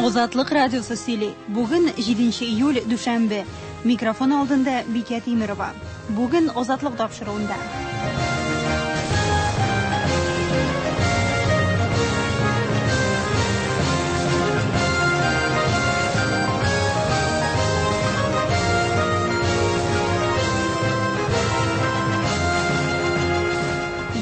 Азатлык радиосы сөйли. Бүген 7 июль, дүшәмбе. Микрофон алдында Бикә Тимерова. Бүген Азатлык тапшыруында.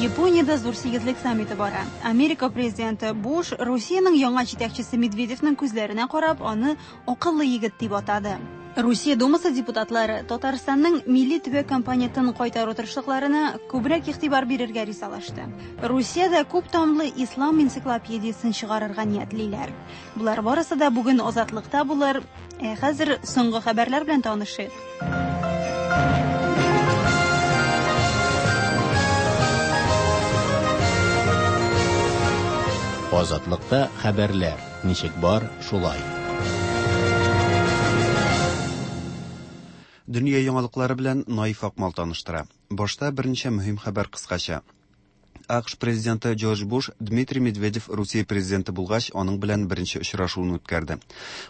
Япониядә зур сигезлек саммиты бара. Америка президенты Буш Русиянең яңа җитәкчесе Медведевның күзләренә карап, аны акыллы егет дип атады. Русия Думасы депутатлары Татарстанның милли төбәк компонентын кайтару тырышлыкларына күбрәк игътибар бирергә ризалашты. Русиядә күп томлы ислам энциклопедиясен чыгарырга ниятлиләр. Болар барысы да бүген Азатлыкта булыр. Ә хәзер соңгы хәбәрләр белән танышыйк. Азатлыкта хәбәрләр ничек бар, шулай. Дөнья яңалыклары белән Наиф Акмал таныштыра. Башта берничә мөһим хәбәр кыскача. АКШ президенты Джордж Буш Дмитрий Медведев Русия президенты булгач, аның белән беренче очрашуын үткәрде.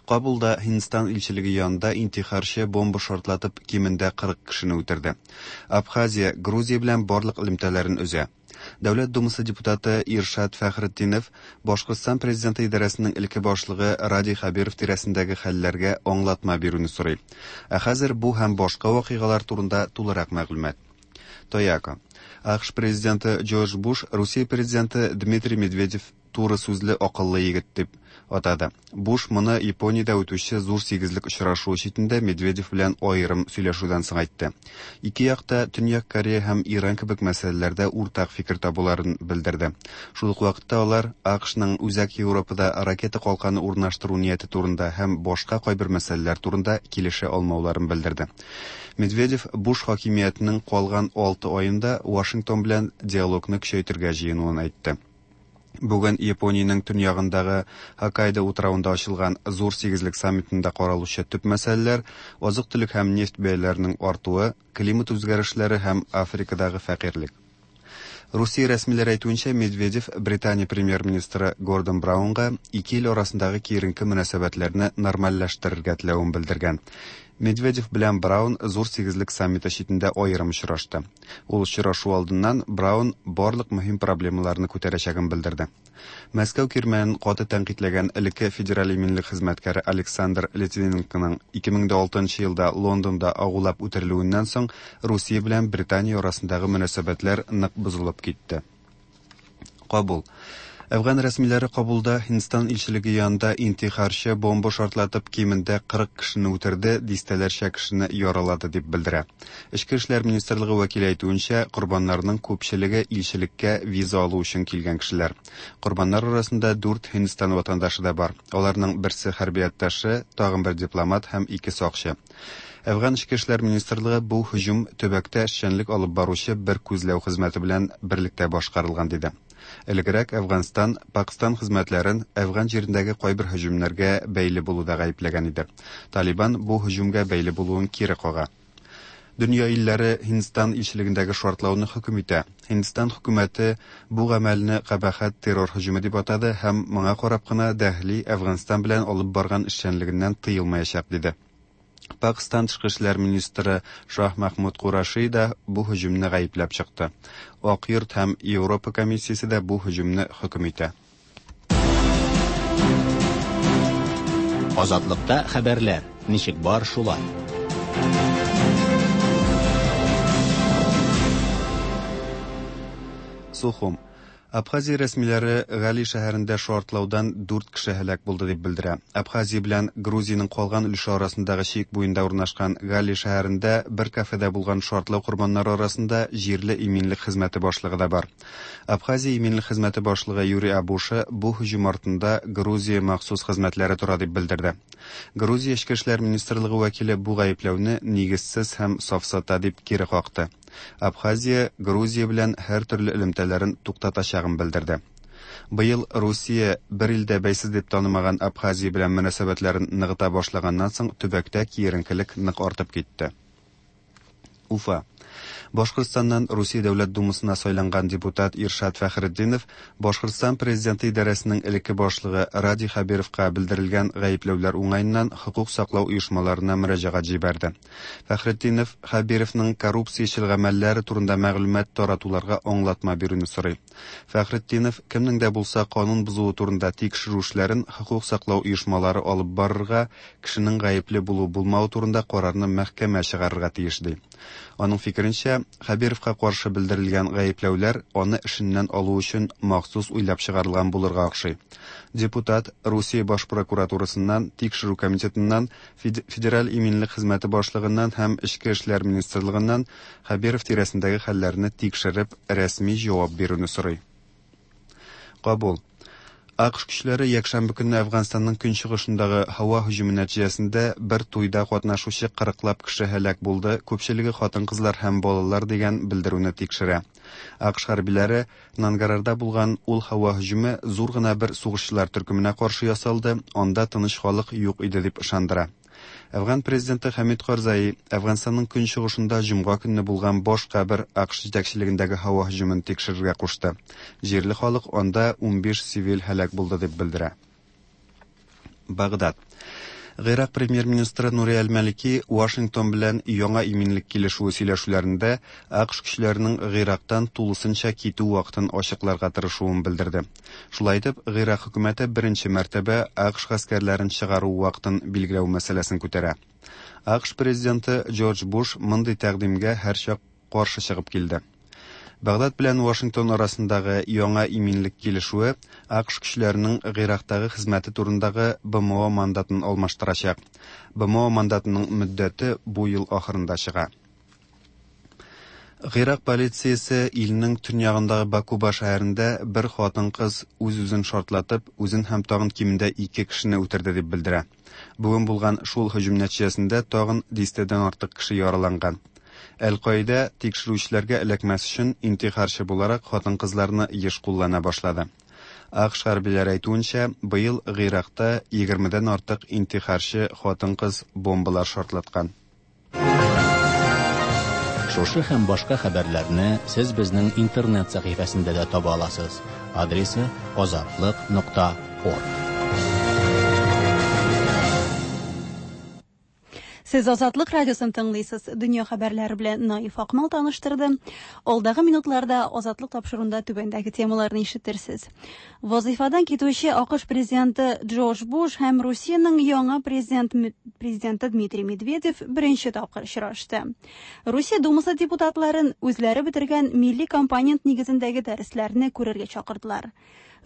Кабулда Һиндстан илчелеге янында интихарчы бомба шартлатып, кимендә 40 кешене үтерде. Абхазия Грузия белән барлык элемтәләрен өзә. Дәүләт Думасы депутаты Иршат Фәхретдинов Башкортстан президенты идарәсенең элекке башлыгы Радий Хәбиров тирәсендәге хәлләргә аңлатма бирүне сорый. Ә хәзер бу һәм башка вакыйгалар турында тулырак мәгълүмат. Тояко. АКШ президенты Джордж Буш Русия президенты Дмитрий Медведев туры сүзле акыллы егет дип атады. Буш моны Япониядә үтүче зур сигезлек очрашуы читендә Медведев белән аерым сөйләшүдән соң әйтте. Ике як та Төньяк Корея һәм Иран кебек мәсьәләләрдә уртак фикер табуларын белдерде. Шул ук вакытта алар АКШның Үзәк Европада ракета калканы урнаштыру нияте турында һәм башка кайбер мәсьәләләр турында килешә алмауларын белдерде. Медведев Буш хакимиятенең калган 6 аенда Вашингтон белән диалогны көчәйтергә җыенуын әйтте. Бүген Япониянең төньягындагы Хоккайдо утравында ачылган зур сигезлек саммитында каралучы төп мәсьәләләр азык-төлек һәм нефть бәяләренең артуы, климат үзгәрешләре һәм Африкадагы фәкыйрьлек. Русия рәсмиләре әйтүенчә, Медведев Британия премьер-министры Гордон Браунга ике ил арасындагы киеренке мөнәсәбәтләрне нормальләштерергә теләвен белдергән. Медведев белән Браун зур сигезлек саммиты читендә аерым очрашты. Ул очрашу алдыннан Браун барлык мөһим проблемаларны күтәрәчәген белдерде. Мәскәү кирмәнен каты тәнкыйтьләгән элекке федераль иминлек хезмәткәре Александр Литвиненконың 2006 елда Лондонда агулап үтерелүеннән соң Русия белән Британия арасындагы мөнәсәбәтләр нык бозылып китте. Кабул. Әфган рәсмиләре Кабулда Һиндстан илчелеге янында интихарчы бомба шартлатып кимендә 40 кешене үтерде, дистәләрчә кешене яралады дип белдерә. Эчке эшләр министрлыгы вәкиле әйтүенчә, корбаннарның күпчелеге илчелеккә виза алу өчен килгән кешеләр. Корбаннар арасында дүрт Һиндстан ватандашы да бар. Аларның берсе хәрби атташе, тагын бер дипломат һәм ике сакчы. Әфган эчке эшләр министрлыгы бу һөҗүм төбәктә эшчәнлек алып баручы бер күзләү хезмәте белән берлектә башкарылган диде. Элегрәк Әфганстан Пакстан хезмәтләрен Әфган җирендәге кайбер һөҗүмнәргә бәйле булуда гаепләгән иде. Талибан бу һөҗүмгә бәйле булуын кире кага. Дөнья илләре Һиндстан илчелегендәге шартлауны хөкем итә. Һиндстан хөкүмәте бу гамәлне кабахәт террор һөҗүме дип атады һәм моңа карап кына Дәһли Әфганстан белән алып барган эшчәнлегеннән тыелмаячак диде. Пакстан тышкы эшләр министры Шаһ Махмуд Кураши да бу һөҗүмне гаепләп чыкты. Ак йорт һәм Европа комиссиясе дә бу һөҗүмне хөкем итә. Азатлыкта хәбәрләр ничек бар, шулай. Сухум. Абхазия рәсмиләре Гали шәһәрендә шартлаудан дүрт кеше һәлак булды дип белдерә. Абхазия белән Грузиянең калган өлеше арасындагы чик буенда урнашкан Гали шәһәрендә бер кафеда булган шартлау корбаннары арасында җирле иминлек хезмәте башлыгы да бар. Абхазия иминлек хезмәте башлыгы Юрий Абуша бу һөҗүм артында Грузия махсус хезмәтләре тора дип белдерде. Грузия эчке эшләр министрлыгы вәкиле бу гаепләүне нигезсез һәм сафсата дип кире какты. Абхазия Грузия белән һәр төрле элемтәләрен туктатачагын белдерде. Быел Русия бер илдә бәйсез дип танымаган Абхазия белән мөнәсәбәтләрен ныгыта башлаганнан соң төбәктә киеренкелек нык артып китте. Уфа. Башкортстаннан Русия Дәүләт Думасына сайланган депутат Иршат Фәхретдинов Башкортстан президенты идарәсенең элекке башлыгы Радий Хәбировка белдерелгән гаепләүләр уңаеннан хокук саклау оешмаларына мөрәҗәгать җибәрде. Фәхретдинов Хәбировның коррупциячел гамәлләре турында мәгълүмат таратуларга аңлатма бирүне сорый. Фәхретдинов кемнең дә булса канун бозуы турында тикшерү эшләрен хокук саклау оешмалары алып барырга, кешенең гаепле булу-булмавы турында карарны мәхкәмә чыгарырга тиеш ди. Аның фикеренчә, Хәбировка каршы белдерелгән гаепләүләр аны эшеннән алу өчен махсус уйлап чыгарылган булырга охшый. Депутат Русия баш прокуратурасыннан, тикшерү комитетыннан, Федераль иминлек хезмәте башлыгыннан һәм Эчке эшләр министрлыгыннан Хәбиров тирәсендәге хәлләрне тикшереп, рәсми җавап бирүне сорый. Кабул. АКШ көчләре якшәмбе көнне Әфганстанның көнчыгышындагы һава һөҗүме нәтиҗәсендә бер туйда катнашучы кырыклап кеше һәлак булды, күпчелеге хатын-кызлар һәм балалар дигән белдерүне тикшерә. АКШ хәрбиләре Нангарарда булган ул һава һөҗүме зур гына бер сугышчылар төркеменә каршы ясалды, анда тыныч халык юк иде дип ышандыра. Әфган президенты Хәмид Карзаи Әфганстанның көнчыгышында җомга көнне булган башка бер АКШ җитәкчелегендәге һава һөҗүмен тикшерергә кушты. Җирле халык анда 15 цивиль һәлак булды дип белдерә. Багдад. Гыйрак премьер-министры Нури әл-Малики Вашингтон белән яңа иминлек килешүе сөйләшүләрендә АКШ көчләренең Гыйрактан тулысынча китү вакытын ачыкларга тырышуын белдерде. Шулай итеп, Гыйрак хөкүмәте беренче мәртәбә АКШ гаскәрләрен чыгару вакытын билгеләү мәсьәләсен күтәрә. АКШ президенты Джордж Буш мондый тәкъдимгә һәрчак каршы чыгып килде. Багдад белән Вашингтон арасындагы яңа иминлек килешүе АКШ көчләренең Гыйрактагы хезмәте турындагы БМО мандатын алмаштырачак. БМО мандатының мөддәте бу ел ахырында чыга. Гыйрак полициясе илнең төньягындагы Бакуба шәһәрендә бер хатын-кыз үз-үзен шартлатып, үзен һәм тагын кимендә ике кешене үтерде дип белдерә. Бүген булган шул һөҗүм нәтиҗәсендә тагын дистәдән артык кеше яраланган. Әл-Каидә тикшерүчеләргә эләкмәс өчен интихарчы буларак хатын-кызларны еш куллана башлады. АКШ хәрбиләре әйтүенчә, быел Гыйракта егермедән артык интихарчы хатын-кыз бомбалар шартлаткан. Шушы һәм башка хәбәрләрне сез безнең интернет сәхифәсендә дә таба аласыз. Адресы азатлык нокта орг. Сез Азатлык радиосын тыңлыйсыз. Дөнья хәбәрләре белән Наиф Акмал таныштырды. Алдагы минутларда Азатлык тапшыруында түбәндәге темаларны ишетерсез. Вазыйфадан китүче АКШ президенты Джордж Буш һәм Русиянең яңа президент, президенты Дмитрий Медведев беренче тапкыр очрашты. Русия Думасы депутатларын үзләре бетергән милли компонент нигезендәге дәресләрне күрергә чакырдылар.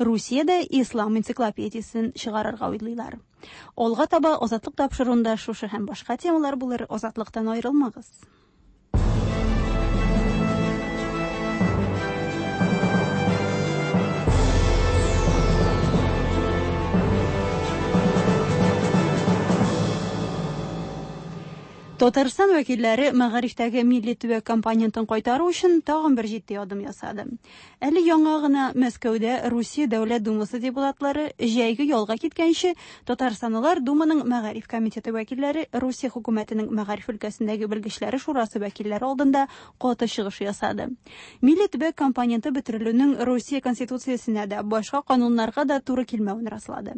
Русиядә ислам энциклопедиясен чыгарырга уйлыйлар. Алга таба Азатлык тапшыруында шушы һәм башка темалар булыр. Азатлыктан аерылмагыз. Татарстан вәкилләре мәгарифтәге милли төбәк компонентын кайтару өчен тагын бер җитди адым ясады. Әле яңа гына Мәскәүдә Русия Дәүләт Думасы депутатлары җәйге ялга киткәнче Татарстанлылар Думаның мәгариф комитеты вәкилләре Русия хөкүмәтенең мәгариф өлкәсендәге белгечләре шурасы вәкилләре алдында каты чыгыш ясады. Милли төбәк компоненты бетерелүнең Русия Конституциясенә дә, башка кануннарга да туры килмәвен раслады.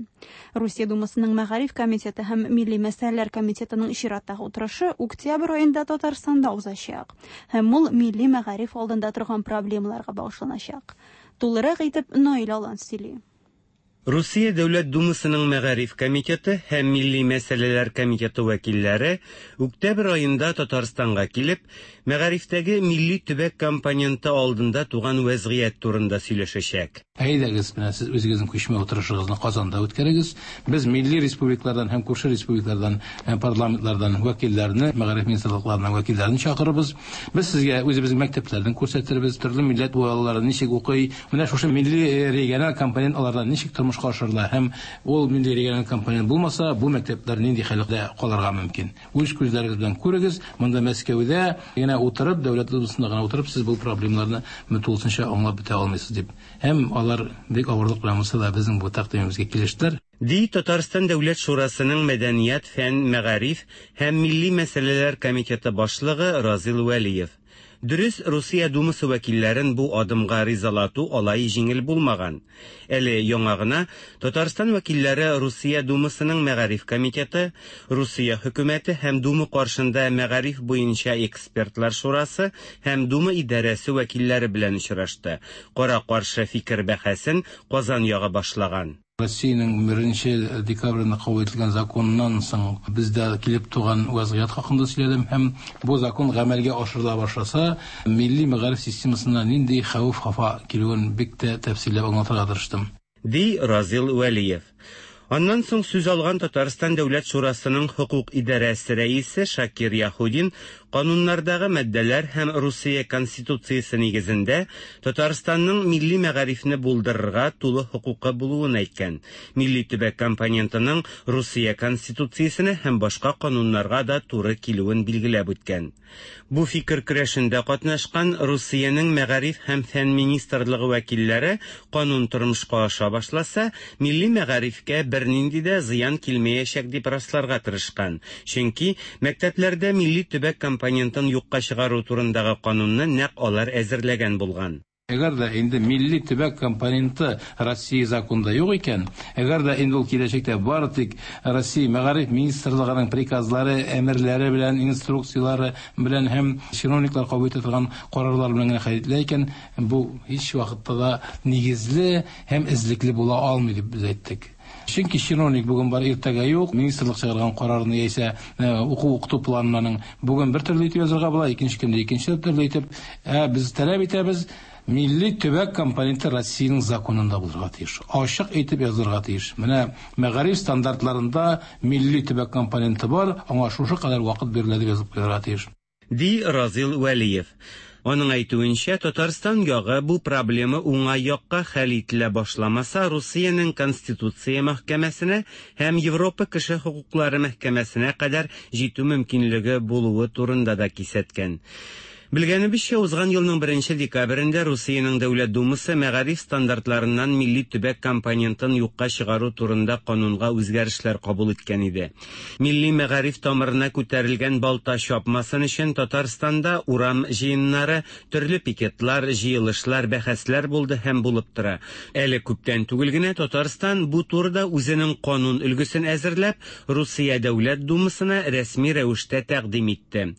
Русия Думасының мәгариф комитеты һәм милли мәсьәләләр комитетының чираттагы утырышы октябрь аенда Татарстанда узачак һәм ул милли мәгариф алдында торган проблемаларга багышланачак. Тулырак итеп Наил Алан сөйли. Русия Дәүләт Думасының Мәгариф комитеты һәм Милли мәсьәләләр комитеты вәкилләре октябрь аенда Татарстанга килеп, мәгарифтәге милли төбәк компоненты алдында туган вәзгыять турында сөйләшәчәк. Әйдәгез, менә сез үзегезнең күчмә утырышыгызны Казанда үткәрегез. Без милли республикалардан һәм күрше республикалардан, э, парламентлардан вәкилләрне, мәгариф министрлыкларының вәкилләрен чакырырбыз. Без сезгә үзебезнең мәктәпләрне күрсәтербез, төрле милләт балалары ничек укый, менә шушы милли э, региональ компонент аларда ничек тормышка ашырыла һәм ул милли региональ компонент булмаса, бу мәктәпләр нинди хәлдә калырга мөмкин. Үз күзләрегез белән күрегез, монда Мәскәүдә генә утырып, дәүләт думасында гына утырып, сез бу проблемаларны тулысынча аңлап бетә алмыйсыз дип. Һәм алар бик авырлык белән булса да безнең бу тәкъдимебезгә килештеләр. Ди Татарстан Дәүләт Шурасының Мәдәният, фән, мәгариф һәм милли мәсьәләләр комитеты башлыгы Разил Вәлиев. Дөрес, Русия Думасы вәкилләрен бу адымга ризалату алай җиңел булмаган. Әле яңа гына Татарстан вәкилләре Русия Думасының мәгариф комитеты, Русия хөкүмәте һәм Дума каршында мәгариф буенча экспертлар шурасы һәм Дума идарәсе вәкилләре белән очрашты. Кара-каршы фикер бәхәсен Казан ягы башлаган. Россиянең 1 декабрендә кабул ителгән законыннан соң бездә килеп туган вазгыять хакында сөйләдем һәм бу закон гамәлгә ашырыла башласа, милли мәгариф системасына нинди хәвеф-хафа килүен бик тә тәфсилләп аңлатырга тырыштым. Ди Разил Вәлиев. Аннан соң сүз алган Татарстан Дәүләт шурасының хокук идарәсе рәисе Шакир Яһудин кануннардагы маддәләр һәм Русия Конституциясе нигезендә Татарстанның милли мәгарифне булдырырга тулы хокукы булуын әйткән. Милли төбәк компонентының Русия Конституциясенә һәм башка кануннарга да туры килүен билгеләп үткән. Бу фикер көрәшендә катнашкан Русиянең мәгариф һәм фән министрлыгы вәкилләре канун тормышка аша башласа, милли мәгарифкә бернинди дә зыян килмәячәк дип расларга тырышкан. Чөнки мәктәпләрдә милли төбәк компонентын юкка чыгару турындагы канунны нәкъ алар әзерләгән булган. Әгәр дә инде милли төбәк компоненты Россия законында юк икән, әгәр дә инде ул киләчәктә бары тик Россия мәгариф министрлыгының приказлары, әмерләре белән, инструкцияләре белән һәм чиновниклар кабул итә торган карарлар белән генә хәл ителә икән, бу һич вакытта да нигезле һәм эзлекле була алмый дип без әйттек. Чөнки чиновник бүген бар, иртәгә юк, министрлык чыгарган карарны яисә уку укыту планының бүген бер төрле итеп язырга була, икенче көндә икенче төрле итеп. Ә без таләп итәбез, милли төбәк компоненты Россиянең законында булырга тиеш. Ачык әйтеп язылырга тиеш. Менә мәгариф стандартларында милли төбәк компоненты бар, аңа шушы кадәр вакыт бирелә дип язып куярга тиеш. Ди Разил Вәлиев. Аның әйтүенчә, Татарстан ягы бу проблема уңай якка хәл ителә башламаса, Русиянең Конституция мәхкәмәсенә һәм Европа кеше хокуклары мәхкәмәсенә кадәр җитү мөмкинлеге булуы турында да кисәткән. Белгәнебезчә, узган елның 1 декабрендә Русиянең Дәүләт Думасы мәгариф стандартларыннан милли төбәк компонентын юкка чыгару турында канунга үзгәрешләр кабул иткән иде. Милли мәгариф тамырына күтәрелгән балта чапмасын өчен Татарстанда урам җыеннары, төрле пикетлар, җыелышлар, бәхәсләр булды һәм булып тора. Әле күптән түгел генә Татарстан бу турыда үзенең канун өлгесен әзерләп, Русия Дәүләт Думасына рәсми рәвештә тәкъдим итте.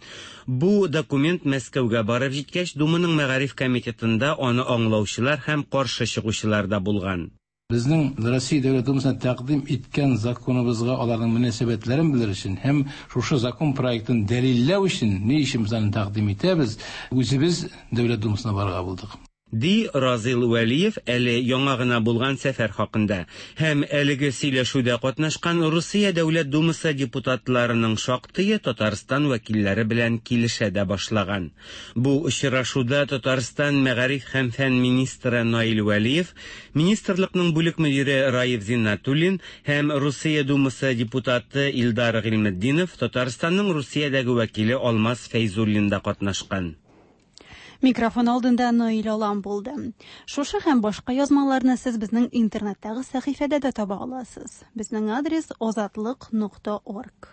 Бу документ Мәскәүгә барып җиткәч, Думаның мәгариф комитетында аны аңлаучылар һәм каршы чыгучылар да булган. Безнең Россия Дәүләт Думасына тәкъдим иткән законыбызга аларның мөнәсәбәтләрен белер өчен һәм шушы закон проектын дәлилләү өчен ни өчен без аны тәкъдим итәбез, үзебез Дәүләт Думасына барырга булдык. Ди Разил Вәлиев әле яңа гына булган сәфәр хакында. Һәм әлеге сөйләшүдә катнашкан Русия Дәүләт Думасы депутатларының шактые Татарстан вәкилләре белән килешә дә башлаган. Бу очрашуда Татарстан мәгариф һәм фән министры Наил Вәлиев, министрлыкның бүлек мөдире Раиф Зиннатуллин һәм Русия Думасы депутаты Илдар Гыйльметдинов, Татарстанның Русиядәге вәкиле Алмаз Фәйзуллин да катнашкан. Микрофон алдында Наил Алан булды. Шушы һәм башка язмаларны сез безнең интернеттагы сәхифәдә дә таба аласыз. Безнең адрес озатлык.org.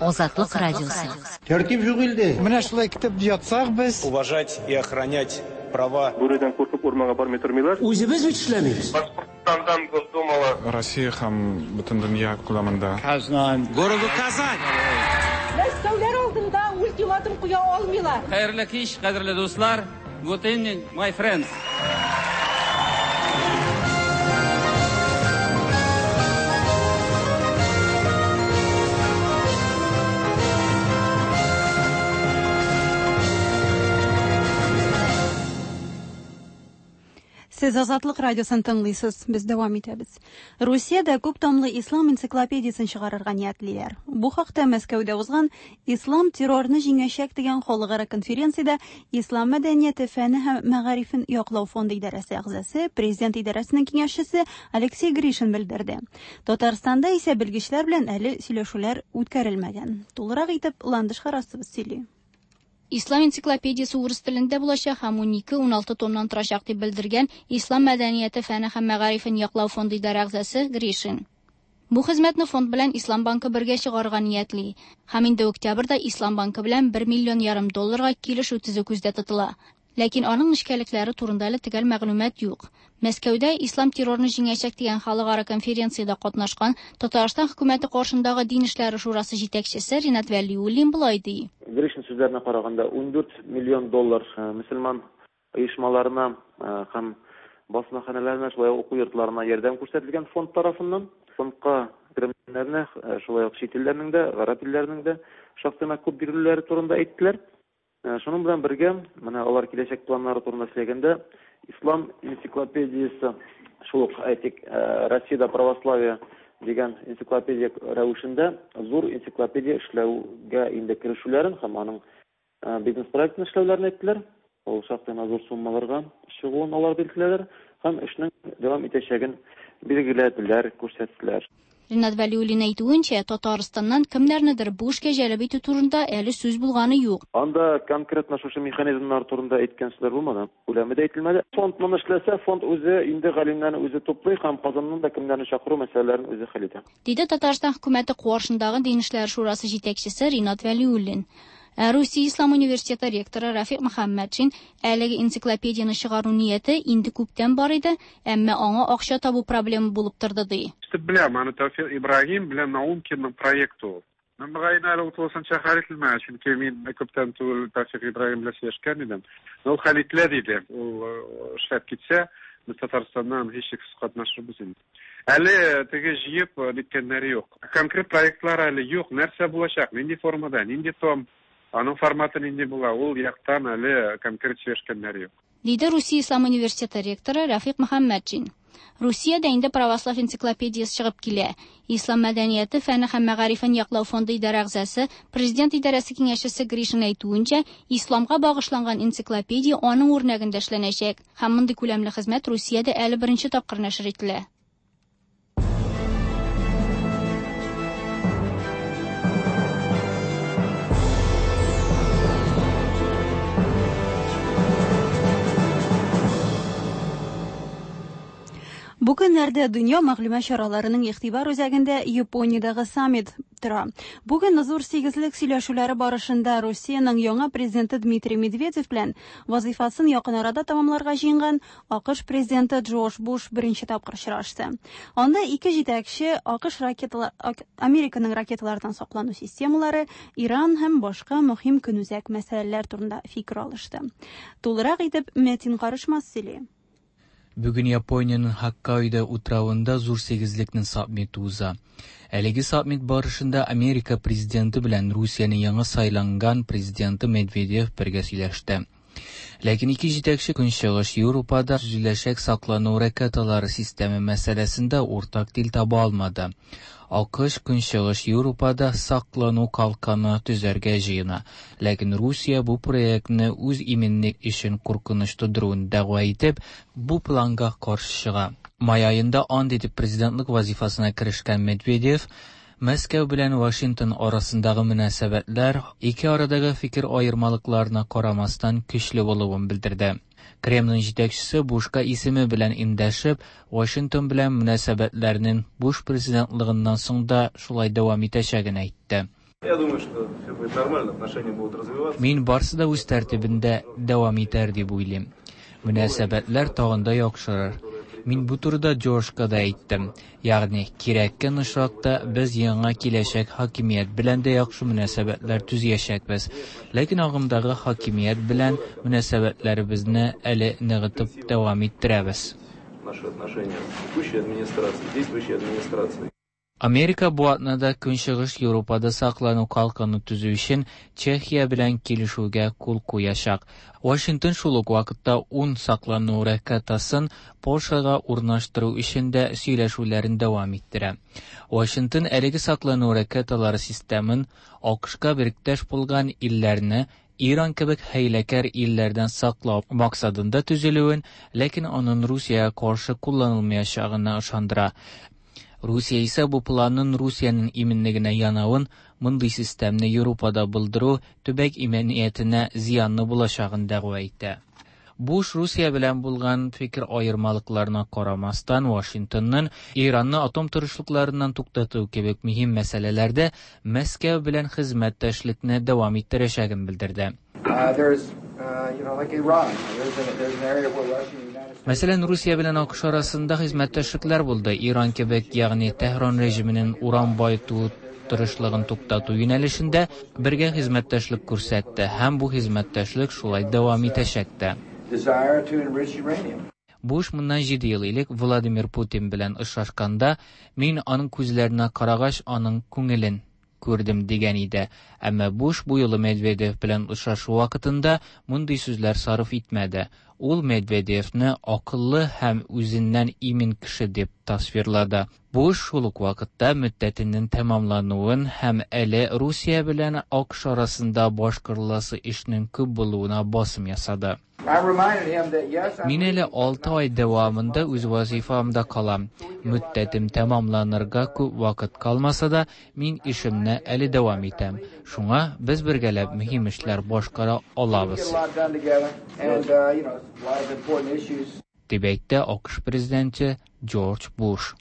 Азатлык радиосы. Тәртип юк илдә. Менә шулай көтеп ятсак без. Уважать и охранять права. Бүредән куркып урманга бармый тормыйлар. Үзебез бит эшләмибез. Башкортстандан Госдумала. Россия һәм бөтен дөнья күләмендә. Казан. Городу Казань. Мәскәүләр алдында ультиматум куя алмыйлар. Хәерле кич, кадерле дуслар. Good evening, my friends. Сез Азатлык радиосын тыңлыйсыз, без дәвам итәбез. Русиядә күп томлы ислам энциклопедиясен чыгарырга ниятлиләр. Бу хакта Мәскәүдә узган Ислам террорны җиңәчәк дигән халыкара конференциядә Ислам мәдәнияте фәне һәм мәгарифен яклау фонды идарәсе әгъзасы, президент идарәсенең киңәшчесе Алексей Гришин белдерде. Татарстанда исә белгечләр белән әле сөйләшүләр үткәрелмәгән. Тулырак итеп Ландыш Харасова сөйли. Ислам энциклопедиясе урыс телендә булачак һәм 12-16 томнан торачак дип белдергән Ислам мәдәнияте фәне һәм мәгарифен яклау фонды идарә әгъзасы Гришин. Бу хезмәтне фонд белән Ислам банкы бергә чыгарырга ниятли. Һәм инде октябрьдә Ислам банкы белән 1 миллион ярым долларга килешү төзү күздә тотыла. Ләкин аның нечкәлекләре турында әле төгәл мәгълүмат юк. Мәскәүдә Ислам террорны җиңәчәк дигән халыкара конференциядә катнашкан Татарстан хөкүмәте каршындагы Дин эшләре шурасы җитәкчесе Ринат Вәлиуллин болай ди. Гришин сүзләренә караганда, 14 миллион доллар мөселман оешмаларына һәм басмаханәләренә, шулай ук уку йортларына ярдәм күрсәтелгән фонд тарафыннан. Фондка керемнәрне шулай ук чит илләрнең дә, гарәп илләренең дә шактый гына күп бирелүләре турында әйттеләр. Шуның белән бергә, менә алар киләчәк планнары турында сөйләгәндә, Ислам энциклопедиясе, шул ук, әйтик, Россиядә православие дигән энциклопедия рәвешендә зур энциклопедия эшләүгә инде керешүләрен һәм аның бизнес-проектын эшләүләрен әйттеләр. Ул шактый гына зур суммаларга чыгуын алар билгеләделәр һәм эшнең дәвам итәчәген билгеләделәр, күрсәттеләр. Ринат Вәлиуллин әйтүенчә, Татарстаннан кемнәрнедер бу эшкә җәлеп итү турында әле сүз булганы юк. Анда конкретно шушы механизмнар турында әйткән сүзләр булмады. Күләме дә әйтелмәде. Фонд моны эшләсә, фонд үзе инде галимнәрне үзе туплый һәм Казаннан да кемнәрне чакыру мәсьәләләрен үзе хәл итә. Диде Татарстан хөкүмәте каршындагы Дин эшләре шурасы җитәкчесе Ринат Вәлиуллин. Ә Русия ислам университеты ректоры Рафик Мөхәммәтшин әлеге энциклопедияне чыгару нияте инде күптән бар иде, әмма аңа акча табу проблема булып торды, ди. Ишетеп беләм, аны Тәүфикъ Ибраһим белән Наумкинның проекты ул. Ну, мөгаен, әле ул тулысынча хәл ителмәгән, чөнки мин күптән түгел Тәүфикъ Ибраһим белән сөйләшкән идем. Но ул хәл ителә диде. Ул эшләп китсә, без Татарстаннан һичшиксез катнашырбыз инде. Әле теге җыеп ниткәннәре юк. Конкрет проектлар әле юк. Нәрсә булачак, нинди формада, нинди том, аның форматы нинди була, ул яктан әле конкрет сөйләшкәннәре юк. Диде Русия ислам университеты ректоры Рәфыйк Мөхәммәтшин. Русиядә инде православ энциклопедиясе чыгып килә. Ислам мәдәнияте, фәне һәм мәгарифен яклау фонды идарә әгъзасы, президент идарәсе киңәшчесе Гришин әйтүенчә, исламга багышланган энциклопедия аның үрнәгендә эшләнәчәк. Һәм мондый күләмле хезмәт Русиядә әле беренче тапкыр нәшер ителә. Бу көннәрдә дөнья мәгълүмат чараларының игътибар үзәгендә Япониядәге саммит тора. Бүген зур сигезлек сөйләшүләре барышында Русиянең яңа президенты Дмитрий Медведев белән вазыйфасын якын арада тәмамларга җыенган АКШ президенты Джордж Буш беренче тапкыр очрашты. Анда ике җитәкче АКШ ракеталар Американың ракеталардан саклану системалары, Иран һәм башка мөһим көнүзәк мәсьәләләр турында фикер алышты. Тулырак итеп Мәтин Карышмас сөйли. Бүген Япониянең Хоккайдо утравында Зур сигезлекнең саммиты уза. Әлеге саммит барышында Америка президенты белән Русиянең яңа сайланган президенты Медведев бергә сөйләште. Ләкин ике җитәкче Көнчыгыш Европада төзеләчәк саклану ракеталары системы мәсьәләсендә уртак тел таба алмады. АКШ Көнчыгыш Европада саклану калканы төзәргә җыена. Ләкин Русия бу проектны үз иминлек өчен куркыныч тудыруын дәгъва итеп, бу планга каршы чыга. Май аенда ант итеп президентлык вазифасына керешкән Медведев Мәскәү белән Вашингтон арасындагы мөнәсәбәтләр ике арадагы фикер аермалыкларына карамастан көчле булуын белдерде. Кремльнең җитәкчесе Бушка исеме белән эндәшеп, Вашингтон белән мөнәсәбәтләрнең Буш президентлыгыннан соң да шулай дәвам итәчәген әйтте. Я думаю, что все будет нормально, отношения будут развиваться. Мин барсы да үз тәртибендә дәвам итәр дип уйлыйм. Мөнәсәбәтләр тагын да яхшырыр. Мин бу турыда Джорджка да әйттем. Ягъни, кирәккән очракта без яңа киләчәк хакимият белән дә яхшы мөнәсәбәтләр төзиячәкбез. Ләкин агымдагы хакимият белән мөнәсәбәтләребезне әле ныгытып дәвам иттерәбез. Наши отношения с текущей администрацией, действующей администрацией. Америка бу атнада Көнчыгыш Европада саклану калканы төзү өчен Чехия белән килешүгә кул куячак. Вашингтон шул ук вакытта 10 саклану ракетасын Польшага урнаштыру өчен дә сөйләшүләрен дәвам иттерә. Вашингтон әлеге саклану ракеталары системын АКШка беректәш булган илләрне Иран кебек хәйләкәр илләрдән саклау максатында төзелүен, ләкин аның Русиягә каршы кулланылмаячагына ышандыра. Русия исә бу планның Русиянең иминлегенә янавын, мондый системны Европада булдыру төбәк иминиятенә зыянлы булачагын дәгъва итә. Буш Русия белән булган фикер аермалыкларына карамастан, Вашингтонның Иранны атом тырышлыкларыннан туктату кебек мөһим мәсьәләләрдә Мәскәү белән хезмәттәшлекне дәвам иттерәчәген белдерде. Мәсәлән, Русия белән АКШ арасында хезмәттәшлекләр булды. Иран кебек, ягъни Тәһран режименең уран баету тырышлыгын туктату юнәлешендә бергә хезмәттәшлек күрсәтте һәм бу хезмәттәшлек шулай дәвам итәчәк тә. Буш моннан 7 ел элек Владимир Путин белән очрашканда, мин аның күзләренә карагач, аның күңелен күрдем дигән иде. Әмма Буш бу юлы Медведев белән очрашу вакытында мондый сүзләр сарыф итмәде. Ул Медведевны акыллы һәм үзеннән имин кеше дип тасвирлады. Буш шул ук вакытта мөддәтенең тәмамлануын һәм әле Русия белән АКШ арасында башкарыласы эшнең күп булуына басым ясады. Мин әле 6 ай дәвамында үз вазифамда калам. Мөддәтем тәмамланырга күп вакыт калмаса да, мин эшемне әле дәвам итәм. Шуңа без бергәләп мөһим эшләр башкара алабыз. Дип әйтте АКШ президенты Джордж Буш.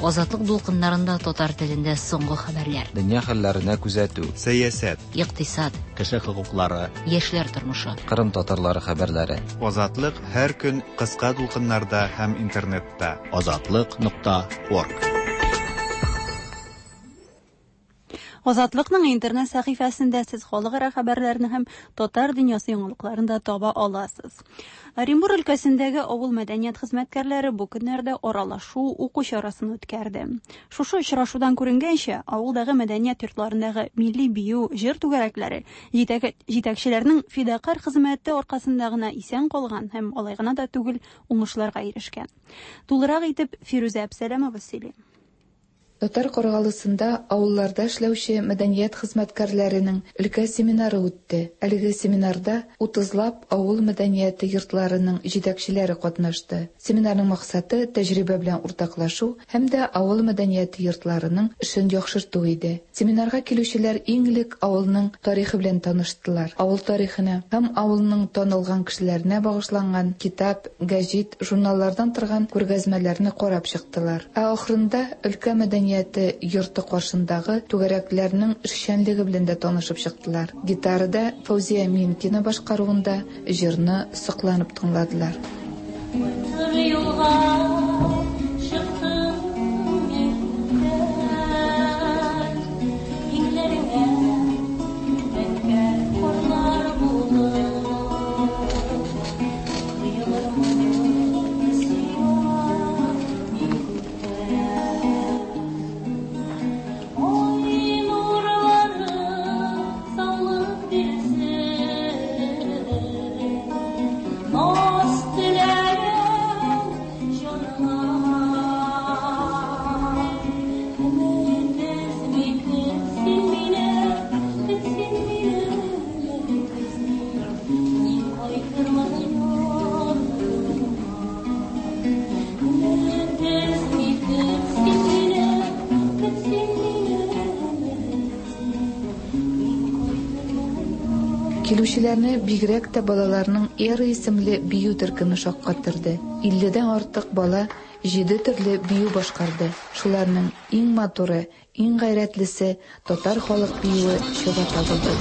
Азатлык дулкыннарында татар телендә соңгы хәбәрләр. Дөнья хәлләренә күзәтү. Сәясәт. Икътисад. Кеше хокуклары. Яшьләр тормышы. Кырым татарлары хәбәрләре. Азатлык һәр көн кыска дулкыннарда һәм интернетта. Азатлык.орг. Азатлыкның интернет сәхифәсендә сез халыкара хәбәрләрне һәм татар дөньясы яңалыкларын да таба аласыз. Оренбур өлкәсендәге авыл мәдәният хезмәткәрләре бу көннәрдә аралашу, уку чарасын үткәрде. Шушы очрашудан күренгәнчә, авылдагы мәдәният йортларындагы милли бию, җыр түгәрәкләре җитәкчеләрнең фидакарь хезмәте аркасында гына исән калган һәм алай гына да түгел, уңышларга ирешкән. Тулырак итеп Фирүзә Әбсәләмова сөйли. Татар Каргалысында авылларда эшләүче мәдәният хезмәткәрләренең өлкә семинары үтте. Әлеге семинарда 30лап авыл мәдәнияте йортларының җитәкчеләре катнашты. Семинарның максаты тәҗрибә белән уртаклашу һәм дә авыл мәдәнияте йортларының эшен яхшырту иде. Семинарга килүчеләр иң элек авылның тарихы белән таныштылар. Авыл тарихына һәм авылның танылган кешеләренә багышланган китап, гәҗит, журналлардан торган күргәзмәләрне карап чыктылар. Ә ахырында өлкә мәдәнияте йорты каршындагы түгәрәкләрнең эшчәнлеге белән дә танышып чыктылар. Гитарада Фәүзия Минкина башкаруында җырны сокланып тыңладылар. Килүчеләрне бигрәк тә балаларның Эра исемле бию төркеме шаккаттырды. 50дән артык бала 7 төрле бию башкарды. Шуларның иң матуры, иң гайрәтлесе татар халык биюе Чабата булды.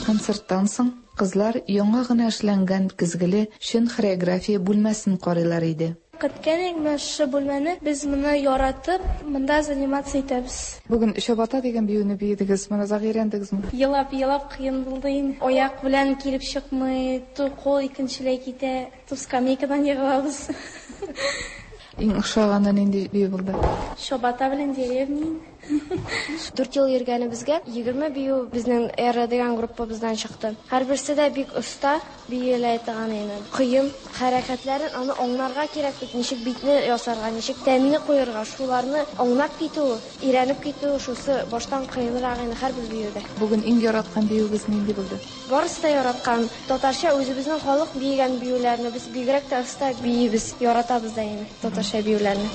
Концерттан соң кызлар яңа гына эшләнгән көзгеле чын хореография бүлмәсен карыйлар иде. Көткән менә шушы бүлмәне без моны яратып, монда заниматься итәбез. Бүген Чабата дигән биюне биедегез, моны озак өйрәндегезме? Елап-елап кыен булды инде. Аяк белән килеп чыкмый, кул икенчеләй китә, ту скамейкадан егылабыз. Иң ошаганы нинди бию булды? Чабата белән деревня. 4 ел йөргәнебезгә 20 бию безнең Эра дигән группабыздан чыкты. Һәрберсе дә бик оста биелә торган иде. Кыен хәрәкәтләрен аны аңларга кирәк бит, ничек битне ясарга, ничек тәнне куярга, шуларны аңлап китү, өйрәнеп китү, шусы баштан кыенрак инде һәрбер биюдә. Бүген иң яраткан биюегез нинди булды? Барысы да яраткан. Татарча үзебезнең халык биегән биюләрне без бигрәк тә оста биибез, яратабыз да инде татарча биюләрне.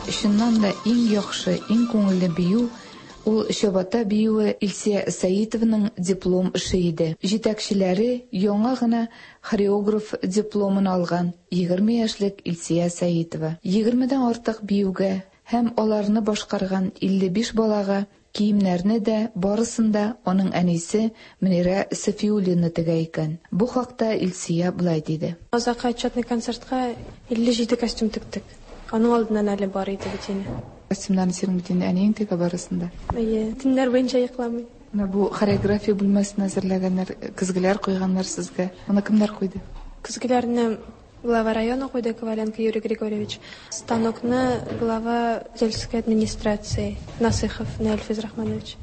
чыннан да иң яхшы, иң күңелле бию ул Чабата биюе Илсия Сәитованың диплом эше иде. Җитәкчеләре яңа гына хореограф дипломын алган 20 яшьлек Илсия Сәитова. 20дән артык биюгә һәм аларны башкарган 55 балага киемнәрне дә барысын да аның әнисе Мөнирә Сафиуллина тегә икән. Бу хакта Илсия болай диде. Азаккы отчетный концертка 57 костюм тектек. Аның алдыннан әле бар иде бит инде. Костюмнарны синең бит инде әниең тегә барысын да. Әйе, төннәр буенча йокламый. Менә бу хореография бүлмәсен әзерләгәннәр, көзгеләр куйганнар сезгә. Моны кемнәр куйды? Көзгеләрне глава района куйды Коваленко Юрий Григорьевич. Станокны глава сельской администрации Насыхов Наиль Физрахманович.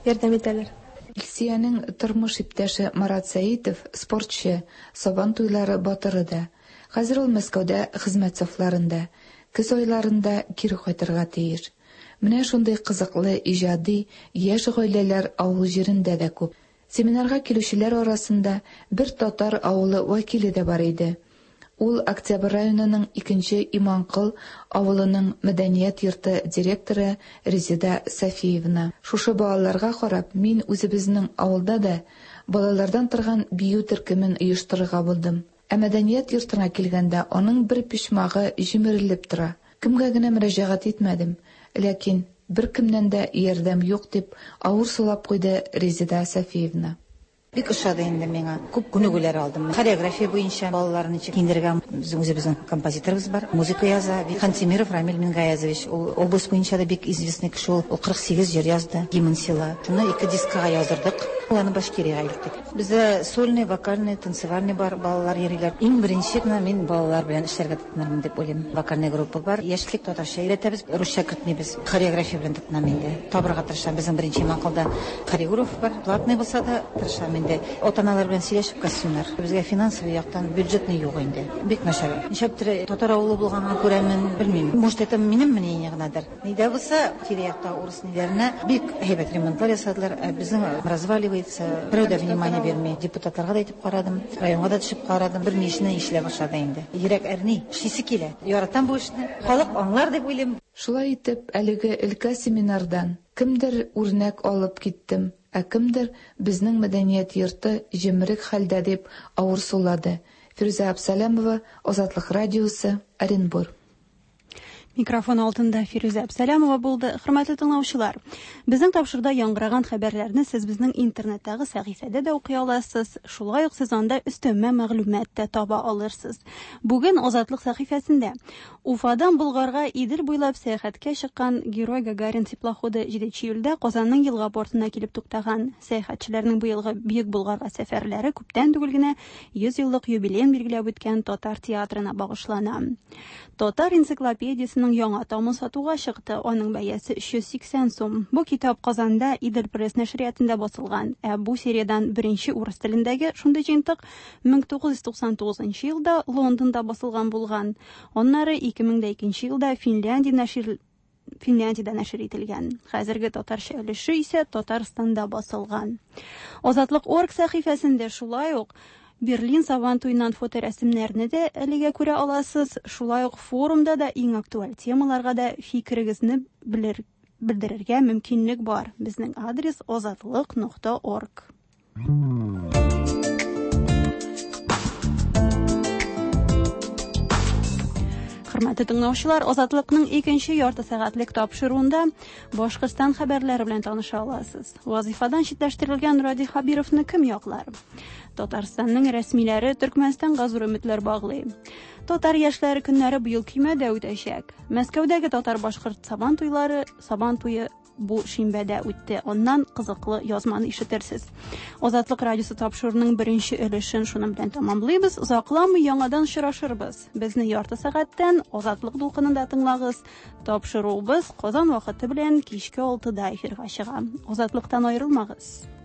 Ярдәм итәләр. Илсиянең тормыш иптәше Марат Сәитов спортчы, Сабан туйлары батыры да. Хәзер ул Мәскәүдә хезмәт сафларында. Көз айларында кире кайтырга тиеш. Менә шундый кызыклы, иҗади, яшь гаиләләр авыл җирендә дә күп. Семинарга килүчеләр арасында бер татар авылы вәкиле дә бар иде. Ул Октябрь районының икенче Иманкол авылының мәдәният йорты директоры Резеда Сафиевна. Шушы балаларга карап, мин үзебезнең авылда да балалардан торган бию төркемен оештырырга булдым. Ә мәдәният йортына килгәндә, аның бер почмагы җимерелеп тора. Кемгә генә мөрәҗәгать итмәдем, ләкин беркемнән дә ярдәм юк, дип авыр сулап куйды Резеда Сафиевна. Бик ошады инде миңа. Күп күнегүләр алдым. Хореография буенча балаларны ничек киендерергә. Безнең үзебезнең композиторыбыз бар, музыка яза. Хантимиров Рамиль Мингаязович, ул область буенча да бик известный кеше ул. Ул 48 җыр язды, гимн села. Шуны ике дискага яздырдык. Аны Башкириягә илттек. Бездә сольный, вокальный, танцевальный бар, балалар йөриләр. Иң беренче генә мин балалар белән эшләргә тотынырмын дип уйлыйм. Вокальный группа бар. Яшьлек татарча өйрәтәбез, русча кертмибез. Хореография белән тотынам инде. Табырга тырышам. Безнең беренче Иманколда хореограф бар. Платный булса да тырышам инде. Ата-аналар белән сөйләшеп костюмнар. Безгә финансовый яктан бюджетный юк инде. Бик начар. Нишләптер татар авылы булганга күрә мин белмим. Может, это минем мнение генәдер. Ни дә булса, тирә-якта урыс ниләренә бик әйбәт ремонтлар ясадылар. Ә безнең разваливается. Берәү дә внимание бирми. Депутатларга да әйтеп карадым, районга да төшеп карадым. Бер нишне ишелә башлады инде. Йөрәк әрни, эшлисе килә. Яратам бу эшне. Халык аңлар дип уйлыйм. Шулай итеп, әлеге өлкә семинардан кемдер үрнәк алып киттем, ә кемдер безнең мәдәният йорты җимерек хәлдә дип авыр сулады. Фирүзә Абсалямова, Азатлык радиосы, Оренбур. Микрофон алдында Фирүзә Әбсәләмова булды. Хөрмәтле тыңлаучылар, безнең тапшыруда яңгыраган хәбәрләрне сез безнең интернеттагы сәхифәдә дә укый аласыз. Шулай ук сез анда өстәмә мәгълүмат та таба алырсыз. Бүген Азатлык сәхифәсендә Уфадан Болгарга Идел буйлап сәяхәткә чыккан Герой Гагарин теплоходы 7 июльдә Казанның елга портына килеп туктаган. Сәяхәтчеләрнең быелгы Бөек Болгарга сәфәрләре күптән түгел генә 100 еллык юбилеен билгеләп үткән татар театрына багышлана. Татар энциклопедиясенең яңа томы сатуга чыкты. Аның бәясе 380 сум. Бу китап Казанда Идел пресс нәшриятында басылган. Ә бу сериядән беренче урыс телендәге шундый җыентык 1999 елда Лондонда басылган булган. Аннары 2002 елда Финляндия нәшир Финляндиядә нәшер ителгән. Хәзерге татарча өлеше исә Татарстанда басылган. Азатлык орг сәхифәсендә шулай ук Берлин Сабан туеннан фоторәсемнәрне дә әлегә күрә аласыз. Шулай ук форумда да иң актуаль темаларга да фикерегезне белер, белдерергә мөмкинлек бар. Безнең адрес озатлык.орг. Хөрмәтле тыңлаучылар, Азатлыкның икенче ярты сәгатьлек тапшыруында Башкортстан хәбәрләре белән таныша аласыз. Вазифадан читләштерелгән Радий Хабировны кем яклар? Татарстанның рәсмиләре Төркмәнстанга зур өметләр баглый. Татар яшьләре көннәре быел көймәдә үтәчәк. Мәскәүдәге татар-башкорт сабан туйлары, сабан туе бу шимбәдә үтте. Аннан кызыклы язманы ишетерсез. Азатлык радиосы тапшыруының беренче өлешен шуның белән тәмамлыйбыз. Озакламый яңадан очрашырбыз. Безне ярты сәгатьтән Азатлык дулкынында тыңлагыз. Тапшыруыбыз Казан вакыты белән кичке 6-да эфирга чыга. Азатлыктан аерылмагыз.